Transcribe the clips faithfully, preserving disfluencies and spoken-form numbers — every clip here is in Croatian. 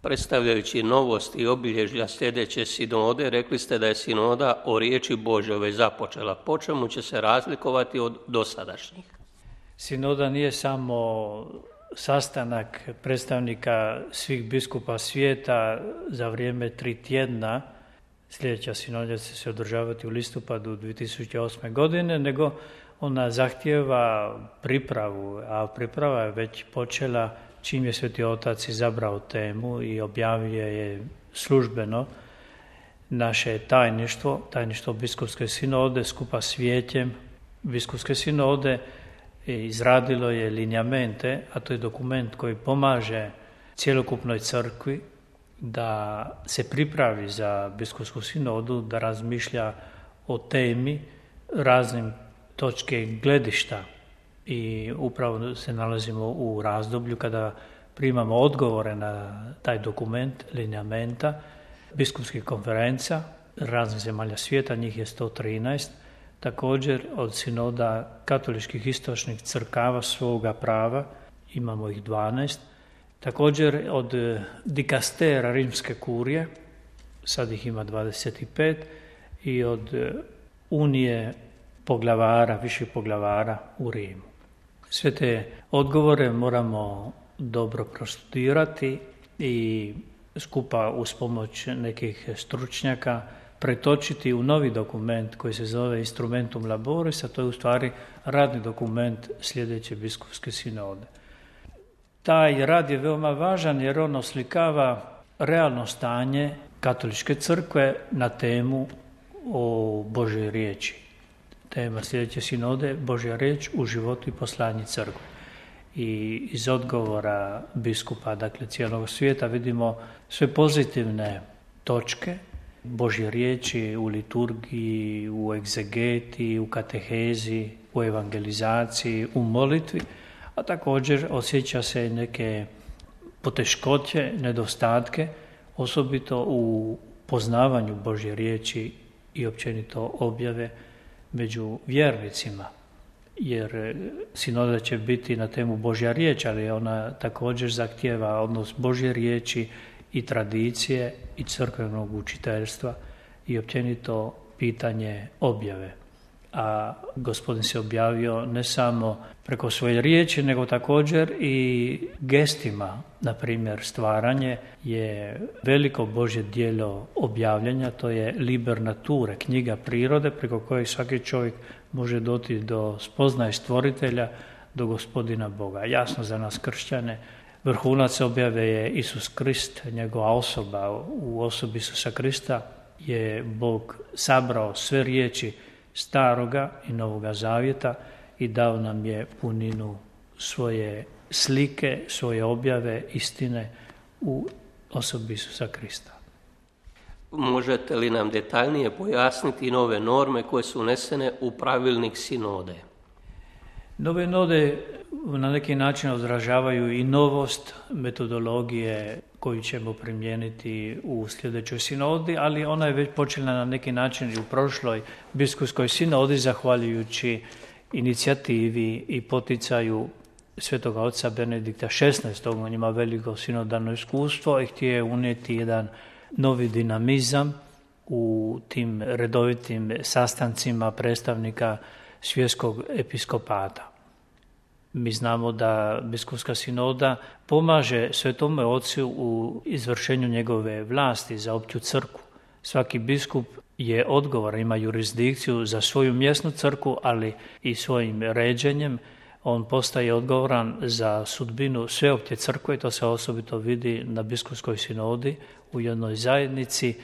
Predstavljajući novost i obilježja sljedeće sinode, rekli ste da je sinoda o riječi Božjoj započela. Po čemu će se razlikovati od dosadašnjih? Sinoda nije samo sastanak predstavnika svih biskupa svijeta za vrijeme tri tjedna. Sljedeća sinoda će se održavati u listopadu dvije tisuće osme. godine, nego ona zahtijeva pripravu, a priprava je već počela čim je Sveti Otac izabrao temu i objavio je službeno naše tajništvo, tajništvo biskupske sinode skupa s vijećem biskupske sinode izradilo je linjamente, a to je dokument koji pomaže cjelokupnoj crkvi da se pripravi za biskupsku sinodu, da razmišlja o temi raznim točke gledišta. I upravo se nalazimo u razdoblju kada primamo odgovore na taj dokument, linjamenta, biskupskih konferencija raznih zemalja svijeta, njih je sto trinaest, također od sinoda katoličkih istočnih crkava svoga prava, imamo ih dvanaest, također od dikastera rimske kurije, sad ih ima dvadeset pet, i od unije poglavara, viših poglavara u Rimu. Sve te odgovore moramo dobro prostudirati i skupa uz pomoć nekih stručnjaka pretočiti u novi dokument koji se zove Instrumentum Laboris, a to je u stvari radni dokument sljedeće biskupske sinode. Taj rad je veoma važan jer on oslikava realno stanje katoličke crkve na temu o Božoj riječi. Tema sljedeće sinode, Božja riječ u životu i poslanju crkve. I iz odgovora biskupa, dakle cijelog svijeta, vidimo sve pozitivne točke Božje riječi u liturgiji, u egzegeti, u katehezi, u evangelizaciji, u molitvi, a također osjeća se neke poteškoće, nedostatke, osobito u poznavanju Božje riječi i općenito objave među vjernicima, jer sinoda će biti na temu Božja riječ, ali ona također zahtijeva odnos Božje riječi i tradicije i crkvenog učiteljstva i općenito pitanje objave. A Gospodin se objavio ne samo preko svoje riječi, nego također i gestima. Na primjer, stvaranje je veliko Božje djelo objavljanja, to je liber nature, knjiga prirode preko koje svaki čovjek može doći do spoznaje stvoritelja, do Gospodina Boga. Jasno za nas kršćane, vrhunac objave je Isus Krist, njegova osoba. U osobi Isusa Krista je Bog sabrao sve riječi Staroga i Novoga Zavjeta i dao nam je puninu svoje slike, svoje objave, istine u osobi Isusa Krista. Možete li nam detaljnije pojasniti nove norme koje su unesene u pravilnik sinode? Nove norme na neki način odražavaju i novost metodologije koju ćemo primijeniti u sljedećoj sinodi, ali ona je već počela na neki način i u prošloj biskupskoj sinodi, zahvaljujući inicijativi i poticaju Svetoga oca Benedikta šesnaestog. On ima veliko sinodalno iskustvo i htio je unijeti jedan novi dinamizam u tim redovitim sastancima predstavnika svjetskog episkopata. Mi znamo da biskupska sinoda pomaže Svetome Ocu u izvršenju njegove vlasti za opću crkvu. Svaki biskup je odgovoran, ima jurisdikciju za svoju mjesnu crkvu, ali i svojim ređenjem on postaje odgovoran za sudbinu sveopće crkve i to se osobito vidi na biskupskoj sinodi u jednoj zajednici,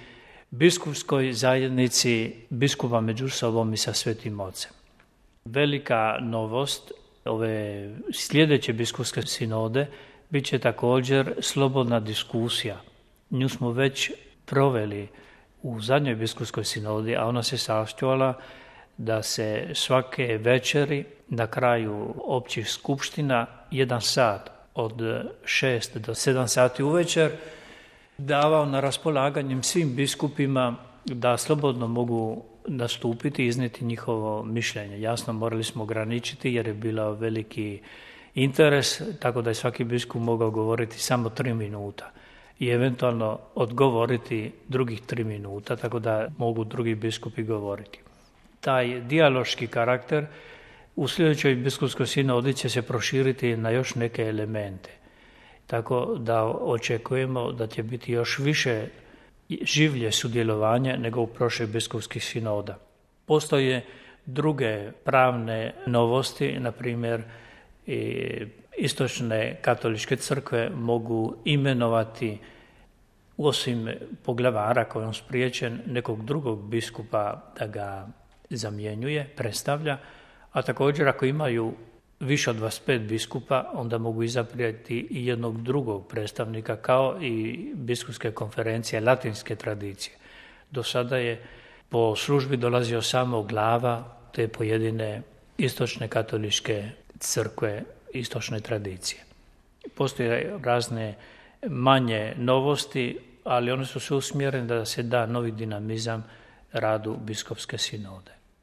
biskupskoj zajednici biskupa među sobom i sa Svetim Ocem. Velika novost ove sljedeće biskupske sinode bit će također slobodna diskusija. Nju smo već proveli u zadnjoj biskupskoj sinodi, a ona se sastovala da se svake večeri na kraju općih skupština jedan sat od šest do sedam sati uvečer davao na raspolaganjem svim biskupima da slobodno mogu nastupiti i iznijeti njihovo mišljenje. Jasno, morali smo ograničiti jer je bilo veliki interes, tako da je svaki biskup mogao govoriti samo tri minuta. i eventualno odgovoriti drugih tri minuta, tako da mogu drugi biskupi govoriti. Taj dijaloški karakter u sljedećoj biskupskoj sinodi će se proširiti na još neke elemente. Tako da očekujemo da će biti još više življe sudjelovanja nego u prošlih biskupskih sinoda. Postoje druge pravne novosti, na primjer istočne katoličke crkve mogu imenovati, osim poglavara koji je spriječen, nekog drugog biskupa da ga zamjenjuje, predstavlja, a također ako imaju više od dvadeset pet biskupa, onda mogu izabrati i jednog drugog predstavnika, kao i biskupske konferencije latinske tradicije. Do sada je po službi dolazio samo glava te pojedine istočne katoličke crkve, istočne tradicije. Postoje razne manje novosti, ali one su sve usmjerene da se da novi dinamizam radu biskupske sinode.